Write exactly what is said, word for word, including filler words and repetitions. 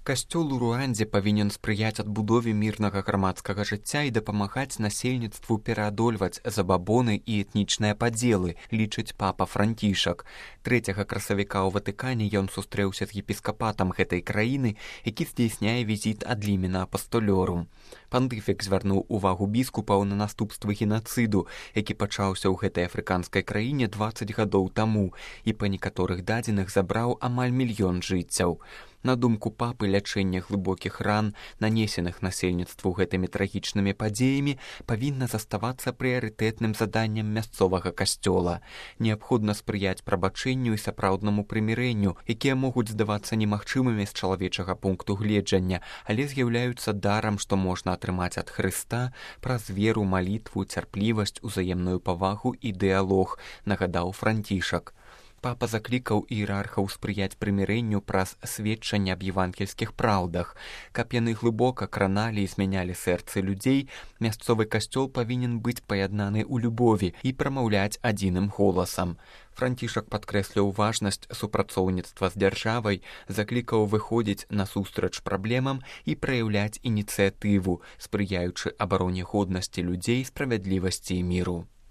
Касцёл у Руандзе павінен спрыяць адбудове мірнага грамадскага жыцця і дапамагаць насельніцтву пераадольваць забабоны і этнічныя падзелы, лічыць папа Францішак. Трэцяга красавіка ў Ватыкане ён сустрэўся з епіскапатам гэтай краіны, які здзяйсняе візіт ад лімена апастолёрум. Пантыфік звярнуў увагу біскупаў на наступствы генацыду, які пачаўся ў гэтай афрыканскай краіне дваццаць гадоў таму і па некаторых дадзеных забраў амаль мільён жыццяў. На думку папы, лячэнне глыбокіх ран, нанесеных насельніцтву гэтымі трагічнымі падзеямі, павінна заставацца прыярытэтным заданнем мясцовага касцёла. Неабходна спрыяць прабачэнню і сапраўднаму прымірэнню, якія могуць здавацца немагчымымі з чалавечага пункту гледжання, але з'яўляюцца дарам, што можна атрымаць ад Хрыста праз веру, малітву, цярплівасць, узаемную павагу і дыялог, нагадаў Францішак. Папа заклікаў іерархаў спрыяць прымірэнню праз сведчанне аб евангельскіх праўдах. Каб яны глыбока краналі і змянялі сэрцы людзей, мясцовы касцёл павінен быць паяднаны ў любові і прамаўляць адзіным голасам. Францішак падкрэсліў важнасць супрацоўніцтва з дзяржавай, заклікаў выходзіць насустрач праблемам і праяўляць ініцыятыву, спрыяючы абароне годнасці людзей, справядлівасці і міру.